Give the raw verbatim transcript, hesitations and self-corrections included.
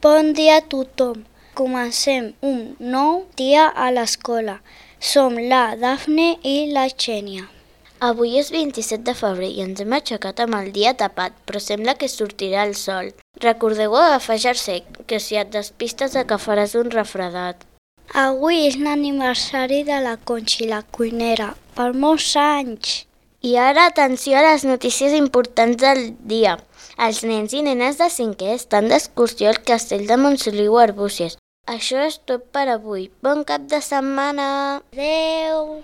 Bon dia a tothom. Comencem un nou dia a l'escola. Som la Dafne i la Xènia. Avui és vint-i-set de febrer i ens hem aixecat amb el dia tapat, però sembla que sortirà el sol. Recordeu agafar jersei, que si et despistes agafaràs un refredat. Avui és l'aniversari de la Conxi, la cuinera. Per molts anys! I ara atenció a les notícies importants del dia. Els nens i nenes de cinquè estan d'excursió al castell de Montsoliu Arbúcies. Això és tot per avui. Bon cap de setmana! Adeu!